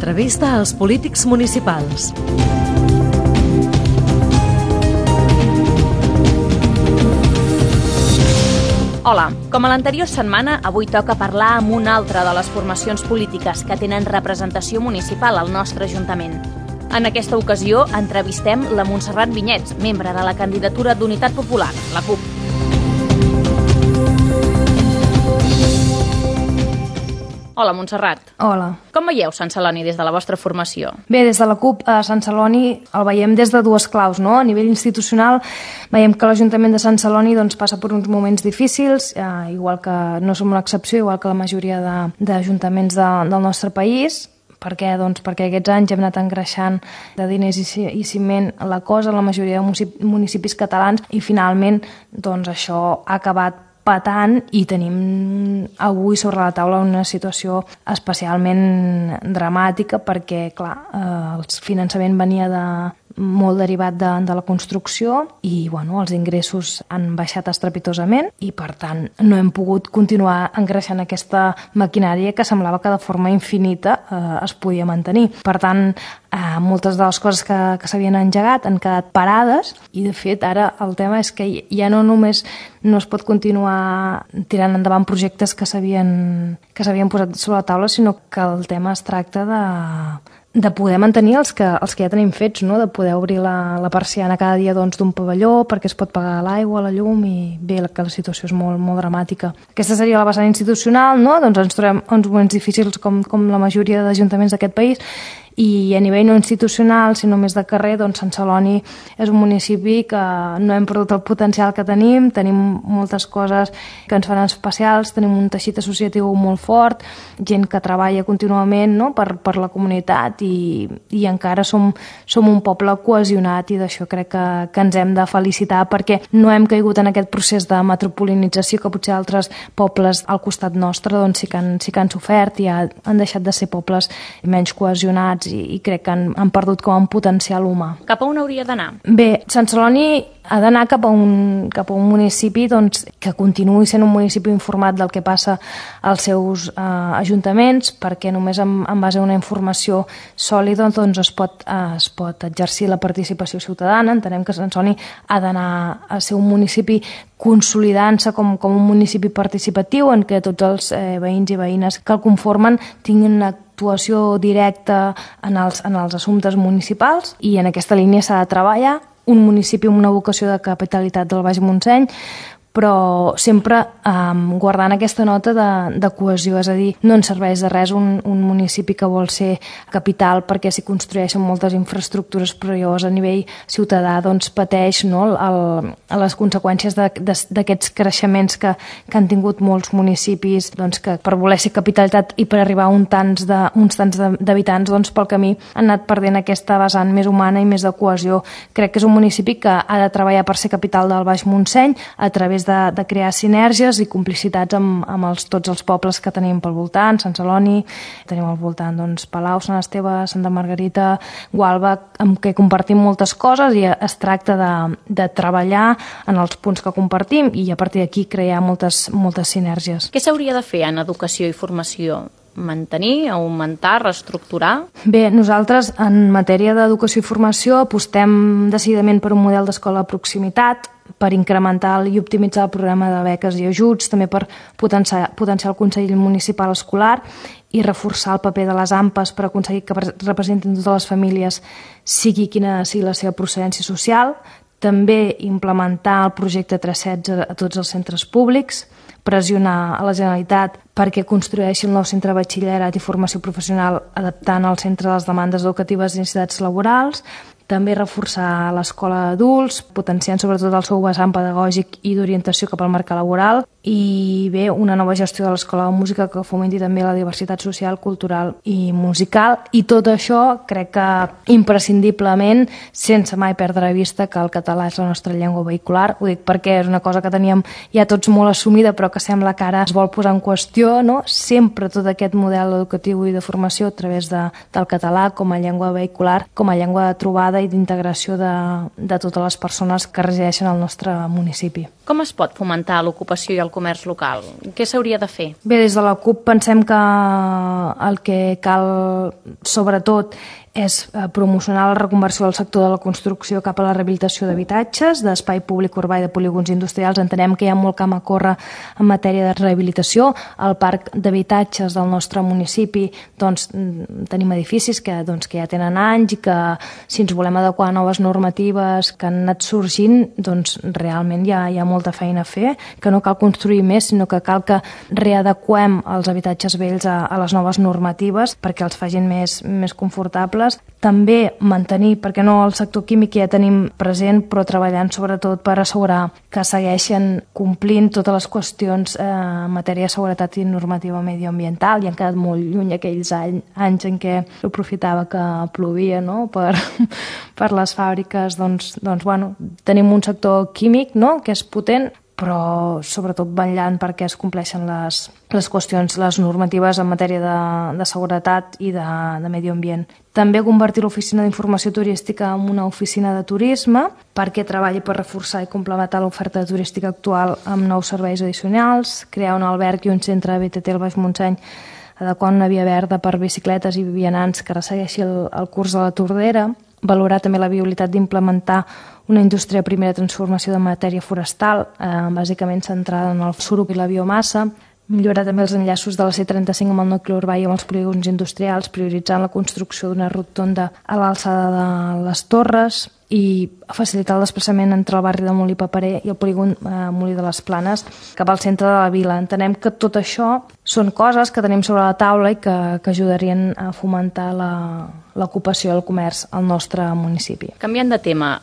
L'entrevista als polítics municipals. Hola, com a l'anterior setmana, avui toca parlar amb una altra de les formacions polítiques que tenen representació municipal al nostre Ajuntament. En aquesta ocasió entrevistem la Montserrat Vinyets, membre de la candidatura d'Unitat Popular, la CUP. Hola, Montserrat. Hola. Com veieu Sant Celoni des de la vostra formació? Bé, des de la CUP a Sant Celoni el veiem des de dues claus, no? A nivell institucional veiem que l'Ajuntament de Sant Celoni passa per uns moments difícils, igual que no som una excepció, igual que la majoria d'ajuntaments del nostre país. Per què? Doncs perquè aquests anys hem anat engreixant de diners i ciment la cosa a la majoria de municipis catalans i finalment això ha acabat patant i tenim avui sobre la taula una situació especialment dramàtica perquè, clar, el finançament venia molt derivat de la construcció i els ingressos han baixat estrepitosament i, per tant, no hem pogut continuar engreixant aquesta maquinària que semblava que de forma infinita es podia mantenir. Per tant, moltes de les coses que s'havien engegat han quedat parades i, de fet, ara el tema és que ja no només no es pot continuar tirant endavant projectes que s'havien posat sobre la taula, sinó que el tema es tracta de poder mantenir els que ja tenim fets, no? De poder obrir la persiana cada dia d'un pavelló perquè es pot pagar l'aigua, la llum i bé, que la situació és molt, molt dramàtica. Aquesta seria la vessant institucional, no? Ens trobem uns moments difícils com la majoria d'ajuntaments d'aquest país i a nivell no institucional, sinó més de carrer, Sant Celoni és un municipi que no hem perdut el potencial que tenim moltes coses que ens fan especials, tenim un teixit associatiu molt fort, gent que treballa contínuament, no? per la comunitat i encara som un poble cohesionat i d'això crec que ens hem de felicitar perquè no hem caigut en aquest procés de metropolinització que potser altres pobles al costat nostre sí que han sofert i han deixat de ser pobles menys cohesionats i crec que han perdut com un potencial humà. Cap a on hauria d'anar? Bé, Sant Celoni ha d'anar cap a un municipi que continuï sent un municipi informat del que passa als seus ajuntaments, perquè només en base a una informació sòlida es pot exercir la participació ciutadana. Entenem que Sant Celoni ha d'anar a ser un municipi consolidant-se com un municipi participatiu en què tots els veïns i veïnes que el conformen tinguin una actuació directa en els assumptes municipals i en aquesta línia s'ha de treballar. Un municipi amb una vocació de capitalitat del Baix Montseny, però sempre guardant aquesta nota de cohesió, és a dir, no ens serveix de res un municipi que vol ser capital perquè s'hi construeixen moltes infraestructures, però llavors a nivell ciutadà pateix les conseqüències d'aquests creixements que han tingut molts municipis que per voler ser capitalitat i per arribar a uns tants d'habitants pel camí han anat perdent aquesta vessant més humana i més de cohesió. Crec que és un municipi que ha de treballar per ser capital del Baix Montseny a través de crear sinergies i complicitats amb tots els pobles que tenim pel voltant, Sant Celoni, tenim al voltant Palau, Sant Esteve, Santa Margarita, Gualba, amb què compartim moltes coses i es tracta de treballar en els punts que compartim i a partir d'aquí crear moltes sinergies. Què s'hauria de fer en educació i formació? Mantenir, augmentar, reestructurar? Bé, nosaltres en matèria d'educació i formació apostem decididament per un model d'escola de proximitat, per incrementar i optimitzar el programa de beques i ajuts, també per potenciar el Consell Municipal Escolar i reforçar el paper de les AMPAs per aconseguir que representin totes les famílies, sigui quina sigui la seva procedència social, també implementar el projecte 316 a tots els centres públics, pressionar a la Generalitat perquè construeixi el nou centre de batxillerat i formació professional adaptant el centre a les demandes educatives i necessitats laborals, també reforçar l'escola d'adults, potenciant sobretot el seu vessant pedagògic i d'orientació cap al mercat laboral i bé, una nova gestió de l'escola de música que fomenti també la diversitat social, cultural i musical i tot això crec que imprescindiblement, sense mai perdre de vista que el català és la nostra llengua vehicular. Ho dic perquè és una cosa que teníem ja tots molt assumida però que sembla que ara es vol posar en qüestió, no? Sempre tot aquest model educatiu i de formació a través del català com a llengua vehicular, com a llengua de trobada i d'integració de totes les persones que resideixen al nostre municipi. Com es pot fomentar l'ocupació i el comerç local? Què s'hauria de fer? Bé, des de la CUP pensem que el que cal, sobretot, és promocionar la reconversió del sector de la construcció cap a la rehabilitació d'habitatges, d'espai públic urbà i de polígons industrials. Entenem que hi ha molt camp a córrer en matèria de rehabilitació. Al parc d'habitatges del nostre municipi tenim edificis que ja tenen anys i que, si ens volem adequar a noves normatives que han anat sorgint, realment hi ha molta feina a fer, que no cal construir més, sinó que cal que readequem els habitatges vells a les noves normatives perquè els facin més confortables. També mantenir, perquè no el sector químic ja tenim present, però treballant sobretot per assegurar que segueixen complint totes les qüestions en matèria de seguretat i normativa medioambiental. I han quedat molt lluny aquells anys en què aprofitava que plovia, no?, per les fàbriques. Tenim un sector químic, no?, que és potent, però sobretot vetllant perquè es compleixen les qüestions, les normatives en matèria de seguretat i de medi ambient. També convertir l'oficina d'informació turística en una oficina de turisme perquè treballi per reforçar i complementar l'oferta turística actual amb nous serveis addicionals, crear un alberg i un centre de BTT al Baix Montseny, adequar una via verda per bicicletes i vianants que ressegueixi el curs de la Tordera, valorar també la viabilitat d'implementar una indústria de primera transformació de matèria forestal, bàsicament centrada en el surup i la biomassa, millorar també els enllaços de la C35 amb el nucli urbà i amb els polígons industrials, prioritzant la construcció d'una rotonda a l'alçada de les Torres i facilitar el desplaçament entre el barri de Molí Paperer i el polígon Molí de les Planes cap al centre de la vila. Entenem que tot això són coses que tenim sobre la taula i que ajudarien a fomentar l'ocupació i el comerç al nostre municipi. Canviant de tema,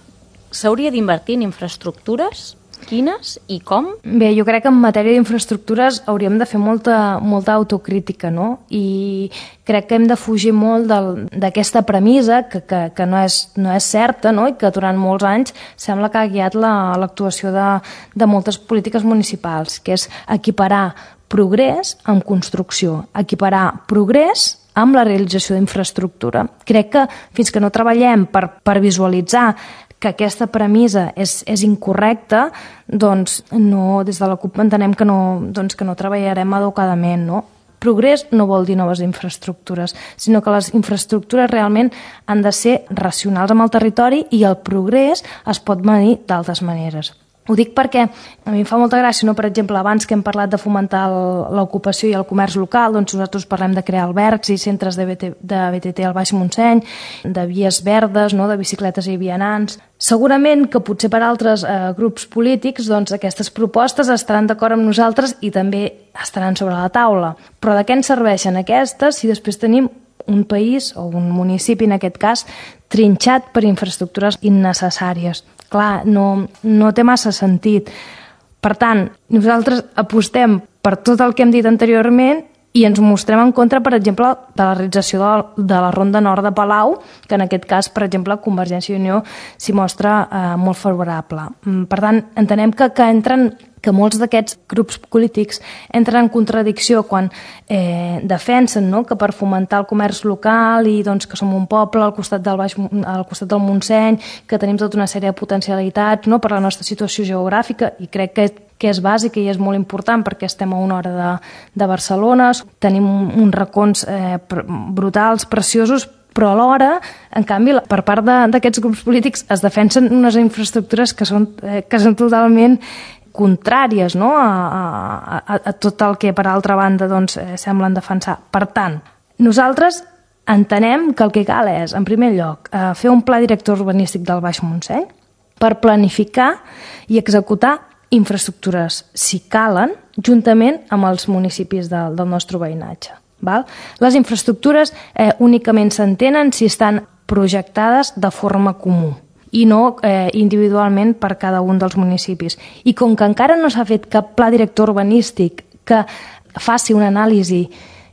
s'hauria d'invertir en infraestructures? Quines i com? Bé, jo crec que en matèria d'infraestructures hauríem de fer molta autocrítica, no? I crec que hem de fugir molt d'aquesta premissa que no és certa, no? I que durant molts anys sembla que ha guiat l'actuació de moltes polítiques municipals, que és equiparar progrés amb construcció, equiparar progrés amb la realització d'infraestructura. Crec que fins que no treballem per visualitzar que aquesta premissa és incorrecta, des de la CUP entenem que no treballarem adequadament, no? Progrés no vol dir noves infraestructures, sinó que les infraestructures realment han de ser racionals amb el territori i el progrés es pot medir d'altres maneres. Ho dic perquè a mi em fa molta gràcia, no? Per exemple, abans que hem parlat de fomentar l'ocupació i el comerç local, nosaltres parlem de crear albergs i centres de BTT al Baix Montseny, de vies verdes, no? De bicicletes i vianants. Segurament que potser per altres grups polítics aquestes propostes estaran d'acord amb nosaltres i també estaran sobre la taula. Però de què ens serveixen aquestes si després tenim un país o un municipi, en aquest cas, trinxat per infraestructures innecessàries? Clar, no té massa sentit. Per tant, nosaltres apostem per tot el que hem dit anteriorment i ens mostrem en contra, per exemple, de la realització de la Ronda Nord de Palau, que en aquest cas, per exemple, Convergència i Unió s'hi mostra molt favorable. Per tant, entenem que molts d'aquests grups polítics entren en contradicció quan defensen, no?, que per fomentar el comerç local i que som un poble al costat del Montseny, que tenim tota una sèrie de potencialitats, no?, per la nostra situació geogràfica, i crec que és bàsic i és molt important perquè estem a una hora de Barcelona, tenim uns racons brutals, preciosos, però alhora, en canvi, per part d'aquests grups polítics es defensen unes infraestructures que són totalment contràries, no?, a tot el que per altra banda semblen defensar. Per tant, nosaltres entenem que el que cal és, en primer lloc, fer un pla director urbanístic del Baix Montseny per planificar i executar infraestructures, si calen, juntament amb els municipis del nostre veïnatge. Les infraestructures únicament s'entenen si estan projectades de forma comú i no individualment per cada un dels municipis. I com que encara no s'ha fet cap pla director urbanístic que faci una anàlisi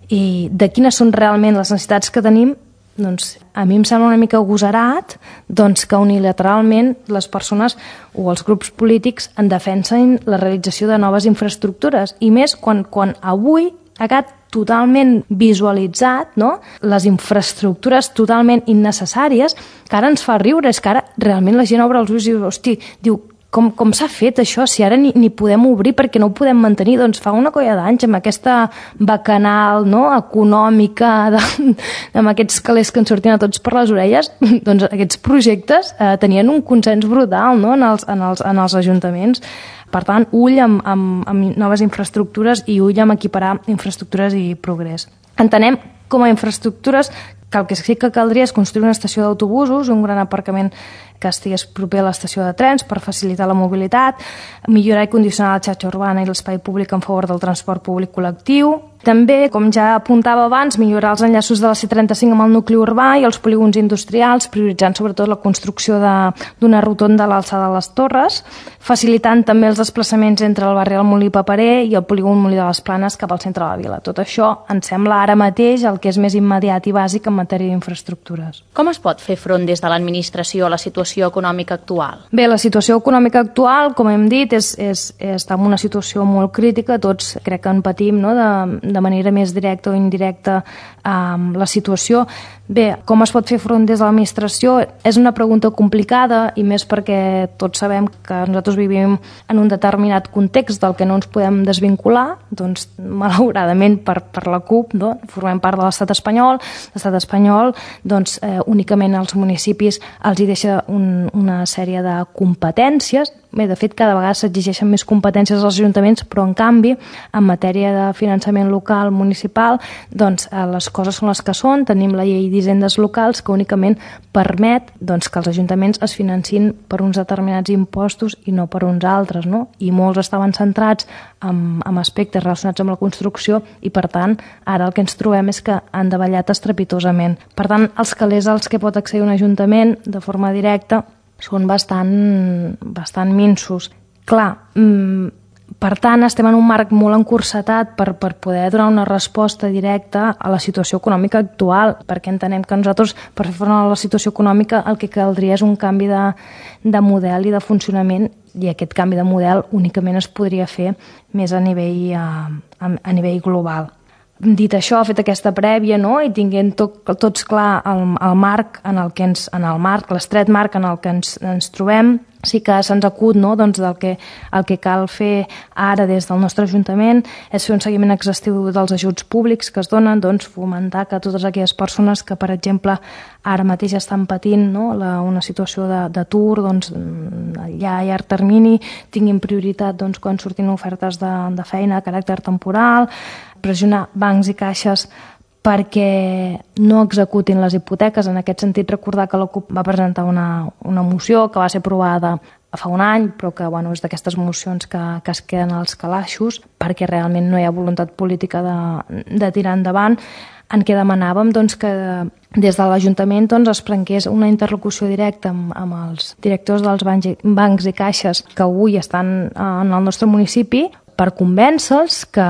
de quines són realment les necessitats que tenim, a mi em sembla una mica agosarat que unilateralment les persones o els grups polítics en defensen la realització de noves infraestructures, i més quan avui ha quedat totalment visualitzat, no?, les infraestructures totalment innecessàries, que ara ens fa riure. És que ara realment la gent obre els ulls i diu, com s'ha fet això, si ara ni podem obrir perquè no ho podem mantenir? Doncs fa una colla d'anys amb aquesta bacanal, no?, econòmica, amb aquests calés que ens sortien a tots per les orelles, doncs aquests projectes tenien un consens brutal, no?, en els ajuntaments. Per tant, ull amb noves infraestructures i ull amb equiparar infraestructures i progrés. Entenem com a infraestructures que el que sí que caldria és construir una estació d'autobusos, un gran aparcament que estigués proper a l'estació de trens per facilitar la mobilitat, millorar i condicionar la xarxa urbana i l'espai públic en favor del transport públic col·lectiu. També, com ja apuntava abans, millorar els enllaços de la C35 amb el nucli urbà i els polígons industrials, prioritzant sobretot la construcció d'una rotonda a l'alçada de les Torres, facilitant també els desplaçaments entre el barri del Molí Paperer i el polígon Molí de les Planes cap al centre de la vila. Tot això ens sembla ara mateix el que és més immediat i bàsic en matèria d'infraestructures. Com es pot fer front des de l'administració a la situació econòmica actual? Bé, la situació econòmica actual, com hem dit, està en una situació molt crítica. Tots crec que en patim, no?, de manera més directa o indirecta la situació. Bé, com es pot fer front des de l'administració? És una pregunta complicada i més perquè tots sabem que nosaltres vivim en un determinat context del que no ens podem desvincular. Doncs, malauradament, per la CUP, no?, formem part de l'estat espanyol. L'estat espanyol, doncs, únicament als municipis els hi deixa una sèrie de competències. Bé, de fet, cada vegada s'exigeixen més competències als ajuntaments, però, en canvi, en matèria de finançament local, municipal, doncs, les coses són les que són. Tenim la llei d'hisendes locals que únicament permet, doncs, que els ajuntaments es financin per uns determinats impostos i no per uns altres, no? I molts estaven centrats en aspectes relacionats amb la construcció i, per tant, ara el que ens trobem és que han davallat estrepitosament. Per tant, els calés als que pot accedir un ajuntament de forma directa són bastant minsos. Clar, per tant, estem en un marc molt encursetat per poder donar una resposta directa a la situació econòmica actual, perquè entenem que nosaltres, per fer front a la situació econòmica, el que caldria és un canvi de model i de funcionament, i aquest canvi de model únicament es podria fer més a nivell global. Dit això, fet aquesta prèvia, no?, i tinguent tots clar el marc l'estret marc en el que ens trobem, sí que se'ns acut, no?, doncs el que cal fer ara des del nostre Ajuntament és fer un seguiment exhaustiu dels ajuts públics que es donen, doncs fomentar que totes aquelles persones que, per exemple, ara mateix estan patint, no?, una situació d'atur, doncs ja a llarg termini tinguin prioritat, doncs, quan surtin ofertes de feina de caràcter temporal, pressionar bancs i caixes perquè no executin les hipoteques. En aquest sentit, recordar que la CUP va presentar una moció que va ser aprovada fa un any, però que és d'aquestes mocions que es queden als calaixos perquè realment no hi ha voluntat política de tirar endavant, en què demanàvem, doncs, que des de l'Ajuntament, doncs, es prengués una interlocució directa amb els directors dels bancs i caixes que avui estan en el nostre municipi per convèncer-los que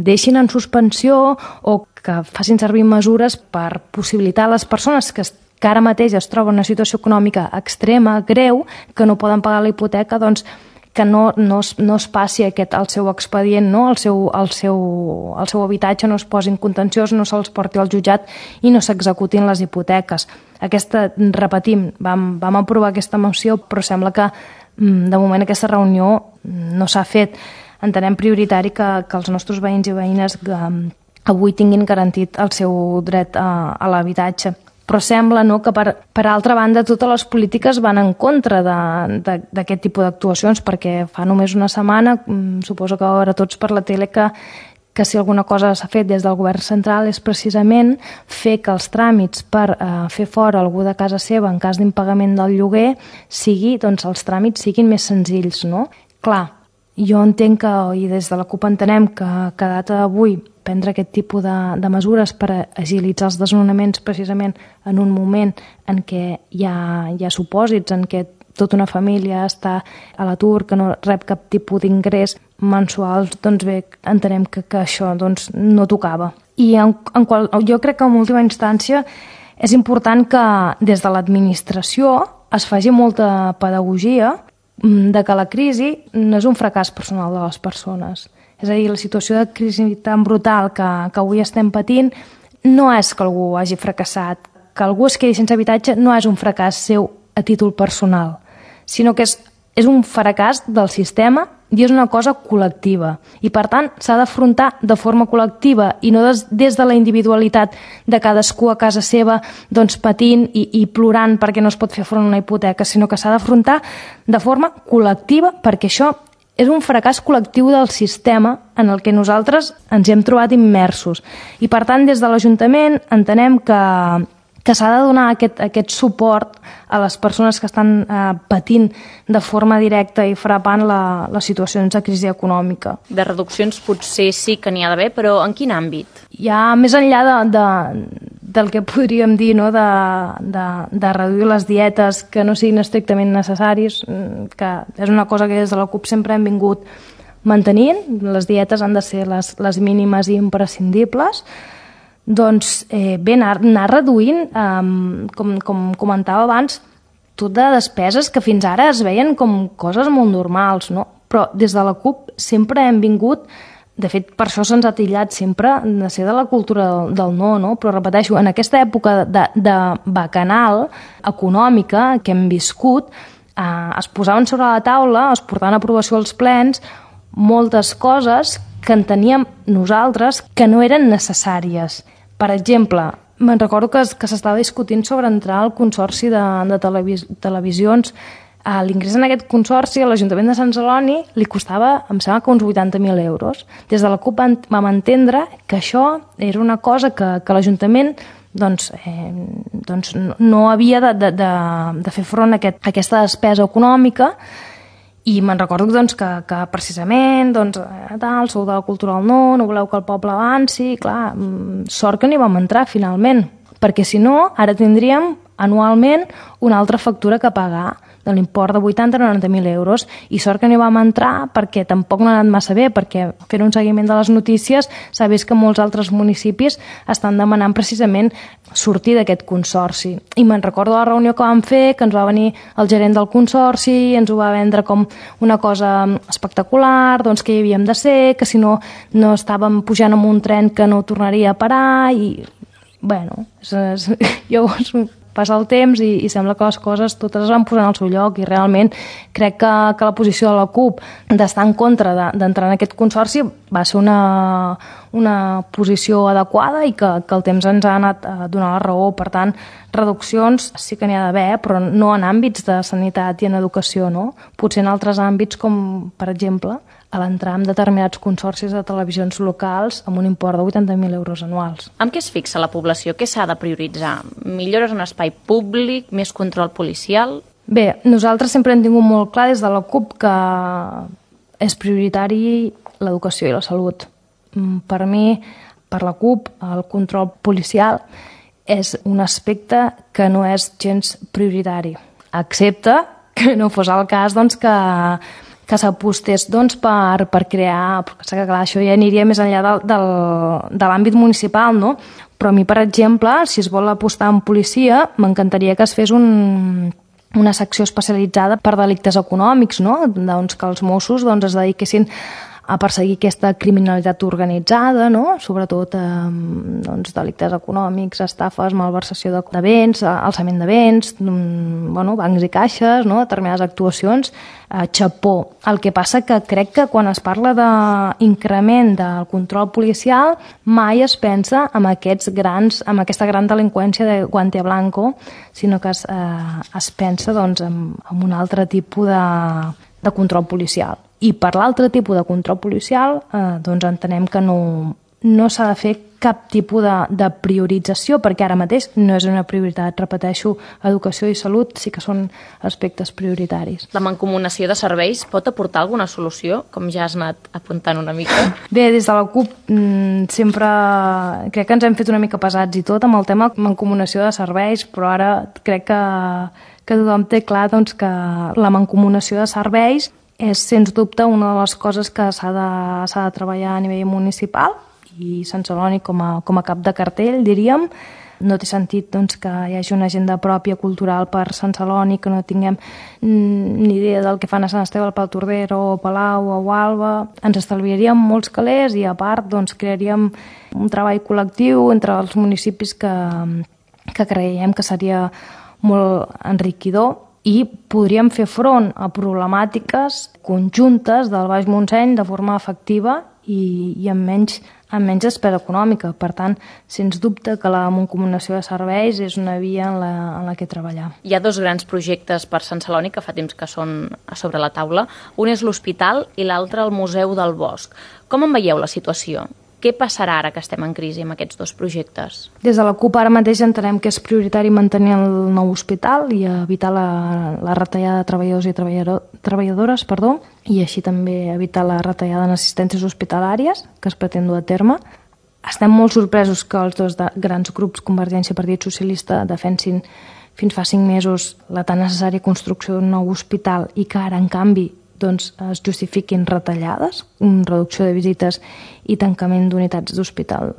deixin en suspensió o que facin servir mesures per possibilitar a les persones que ara mateix es troben en una situació econòmica extrema, greu, que no poden pagar la hipoteca, doncs que no es passi el seu expedient, no? el seu habitatge no es posi en contenciós, no se'ls porti al jutjat i no s'executin les hipoteques. Repetim, vam aprovar aquesta moció, però sembla que de moment aquesta reunió no s'ha fet. Entenem prioritari que els nostres veïns i veïnes avui tinguin garantit el seu dret a l'habitatge. Però sembla, no?, que per altra banda totes les polítiques van en contra d'aquest tipus d'actuacions, perquè fa només una setmana, suposo que va veure tots per la tele que si alguna cosa s'ha fet des del govern central és precisament fer que els tràmits per fer fora algú de casa seva en cas d'impagament del lloguer els tràmits siguin més senzills, no? Clar, jo entenc i des de la CUP entenem que a data d'avui prendre aquest tipus de mesures per agilitzar els desnonaments precisament en un moment en què hi ha supòsits en què tota una família està a l'atur, que no rep cap tipus d'ingrés mensual, doncs bé, entenem que això no tocava. I jo crec que en última instància és important que des de l'administració es faci molta pedagogia de que la crisi no és un fracàs personal de les persones. És a dir, la situació de crisi tan brutal que avui estem patint no és que algú hagi fracassat. Que algú es quedi sense habitatge no és un fracàs seu a títol personal, sinó que és és un fracàs del sistema i és una cosa col·lectiva. I, per tant, s'ha d'afrontar de forma col·lectiva i no des de la individualitat de cadascú a casa seva, doncs patint i plorant perquè no es pot fer front a una hipoteca, sinó que s'ha d'afrontar de forma col·lectiva, perquè això és un fracàs col·lectiu del sistema en el que nosaltres ens hem trobat immersos. I, per tant, des de l'Ajuntament entenem que s'ha de donar aquest suport a les persones que estan patint de forma directa i frapant les situacions de crisi econòmica. De reduccions potser sí que n'hi ha d'haver, però en quin àmbit? Ja més enllà del que podríem dir, no? de reduir les dietes que no siguin estrictament necessaris, que és una cosa que des de la CUP sempre hem vingut mantenint. Les dietes han de ser les mínimes i imprescindibles. Doncs bé, anar reduint, com comentava abans, tot de despeses que fins ara es veien com coses molt normals, no? Però des de la CUP sempre hem vingut, de fet per això se'ns ha titllat sempre de ser de la cultura del no, no? Però repeteixo, en aquesta època de bacanal econòmica que hem viscut, es posaven sobre la taula, es portaven a aprovació als plens, moltes coses que enteníem nosaltres que no eren necessàries. Per exemple, me'n recordo que s'estava discutint sobre entrar al consorci de televisions. L'ingrés en aquest consorci a l'Ajuntament de Sant Celoni li costava, em sembla que uns 80.000 euros. Des de la CUP vam entendre que això era una cosa que l'Ajuntament no havia de fer front a aquesta despesa econòmica. I me'n recordo que precisament sou de la cultura del no voleu que el poble avanci, clar, sort que n'hi vam entrar finalment, perquè si no ara tindríem anualment una altra factura que pagar de l'import de 80 a 90.000 euros, i sort que n'hi vam entrar perquè tampoc no ha anat massa bé, perquè fent un seguiment de les notícies s'ha vist que molts altres municipis estan demanant precisament sortir d'aquest consorci. I me'n recordo la reunió que vam fer, que ens va venir el gerent del consorci i ens ho va vendre com una cosa espectacular, doncs que hi havíem de ser, que si no estàvem pujant en un tren que no tornaria a parar, i bueno, llavors passa el temps i sembla que les coses totes es van posant al seu lloc, i realment crec que la posició de la CUP d'estar en contra d'entrar en aquest consorci va ser una posició adequada i que el temps ens ha anat a donar la raó. Per tant, reduccions sí que n'hi ha d'haver, però no en àmbits de sanitat i en educació, no? Potser en altres àmbits com, per exemple, a l'entrar en determinats consorcis de televisions locals amb un import de 80.000 euros anuals. Amb què es fixa la població? Què s'ha de prioritzar? Millores en espai públic? Més control policial? Bé, nosaltres sempre hem tingut molt clar des de la CUP que és prioritari l'educació i la salut. Per mi, per la CUP, el control policial és un aspecte que no és gens prioritari, excepte que no fos el cas que s'apostés per crear, perquè clar, això ja aniria més enllà de l'àmbit municipal, no? Però a mi, per exemple, si es vol apostar en policia, m'encantaria que es fes una secció especialitzada per delictes econòmics, no? Doncs que els Mossos es dediquessin a perseguir aquesta criminalitat organitzada, no? Sobretot delictes econòmics, estafes, malversació de béns, alçament de béns, bancs i caixes, no? Determinades actuacions, xapó. El que passa que crec que quan es parla d'increment del control policial mai es pensa amb aquesta gran delinqüència de guante blanco, sinó que es pensa en un altre tipus de control policial. I per l'altre tipus de control policial entenem que no s'ha de fer cap tipus de priorització, perquè ara mateix no és una prioritat. Repeteixo, educació i salut sí que són aspectes prioritaris. La mancomunació de serveis pot aportar alguna solució, com ja has anat apuntant una mica? Bé, des de la CUP sempre crec que ens hem fet una mica pesats i tot amb el tema mancomunació de serveis, però ara crec que tothom té clar que la mancomunació de serveis és, sens dubte, una de les coses que s'ha de treballar a nivell municipal, i Sant Celoni com a cap de cartell, diríem. No té sentit que hi hagi una agenda pròpia cultural per Sant Celoni, que no tinguem ni idea del que fan a Sant Esteve, al Palautordera o Palau o Gualba. Ens estalviaríem molts calés i, a part, crearíem un treball col·lectiu entre els municipis que creiem que seria molt enriquidor. i podríem fer front a problemàtiques conjuntes del Baix Montseny de forma efectiva i amb menys despesa econòmica. Per tant, sens dubte que la mancomunació de serveis és una via en la que treballar. Hi ha 2 grans projectes per Sant Celoni que fa temps que són a sobre la taula. Un és l'hospital i l'altre el Museu del Bosc. Com en veieu la situació? Què passarà ara que estem en crisi amb aquests 2 projectes? Des de la CUP ara mateix entenem que és prioritari mantenir el nou hospital i evitar la retallada de treballadors i treballadores, i així també evitar la retallada en assistències hospitalàries que es pretén dur a terme. Estem molt sorpresos que els 2 grans grups, Convergència i Partit Socialista, defensin fins fa 5 mesos la tan necessària construcció d'un nou hospital i que ara, en canvi, es justifiquin retallades, reducció de visites i tancament d'unitats d'hospital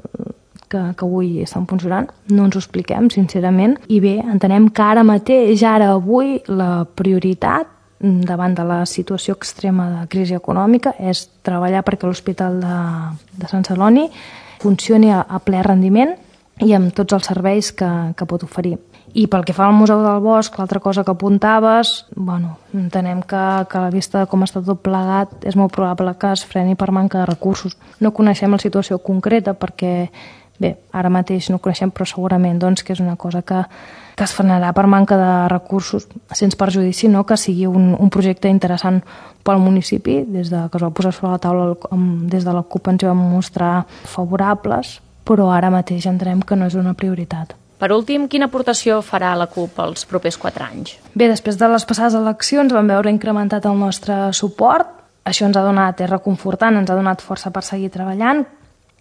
que avui estan funcionant. No ens ho expliquem, sincerament. I bé, entenem que ara mateix, avui, la prioritat davant de la situació extrema de crisi econòmica és treballar perquè l'Hospital de Sant Celoni funcioni a ple rendiment i amb tots els serveis que pot oferir. I pel que fa al Museu del Bosc, l'altra cosa que apuntaves, entenem que a la vista de com està tot plegat és molt probable que es freni per manca de recursos. No coneixem la situació concreta perquè, ara mateix no ho coneixem, però segurament que és una cosa que es frenarà per manca de recursos, sense perjudici que sigui un projecte interessant pel municipi. Des que es va posar sobre la taula des de la CUP ens vam mostrar favorables, però ara mateix entenem que no és una prioritat. Per últim, quina aportació farà la CUP els propers 4 anys? Bé, després de les passades eleccions vam veure incrementat el nostre suport. Això ens ha donat, és reconfortant, ens ha donat força per seguir treballant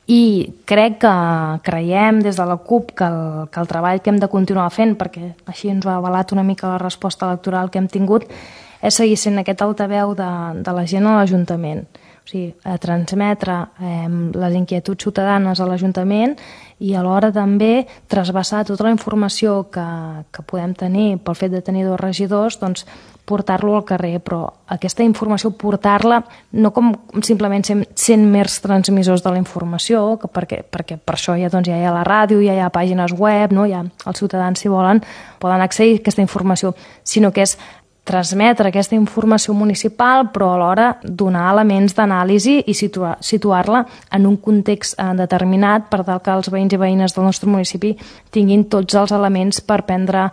i creiem des de la CUP que el treball que hem de continuar fent, perquè així ens ho ha avalat una mica la resposta electoral que hem tingut, és seguir sent aquest altaveu de la gent a l'Ajuntament. O sigui, a transmetre les inquietuds ciutadanes a l'Ajuntament i alhora també trasbassar tota la informació que podem tenir pel fet de tenir 2 regidors, portar-lo al carrer, però aquesta informació portar-la no com simplement sent mers transmissors de la informació, perquè per això ja hi ha la ràdio, ja hi ha pàgines web, els ciutadans, si volen, poden accedir a aquesta informació, sinó que és transmetre aquesta informació municipal, però alhora donar elements d'anàlisi i situar-la en un context determinat per tal que els veïns i veïnes del nostre municipi tinguin tots els elements per prendre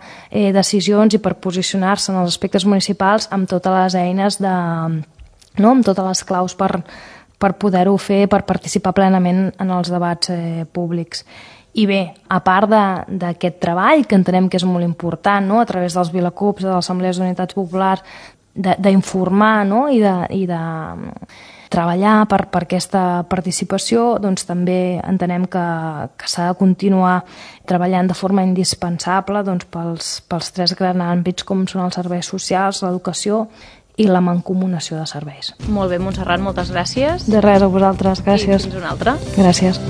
decisions i per posicionar-se en els aspectes municipals amb totes les eines, amb totes les claus per poder-ho fer, per participar plenament en els debats públics. I bé, a part d'aquest treball, que entenem que és molt important, a través dels Vilacups, de les Assemblees d'Unitats Populars, d'informar i de treballar per aquesta participació, també entenem que s'ha de continuar treballant de forma indispensable pels 3 grans àmbits com són els serveis socials, l'educació i la mancomunació de serveis. Molt bé, Montserrat, moltes gràcies. De res, a vosaltres, gràcies. I fins una altra. Gràcies.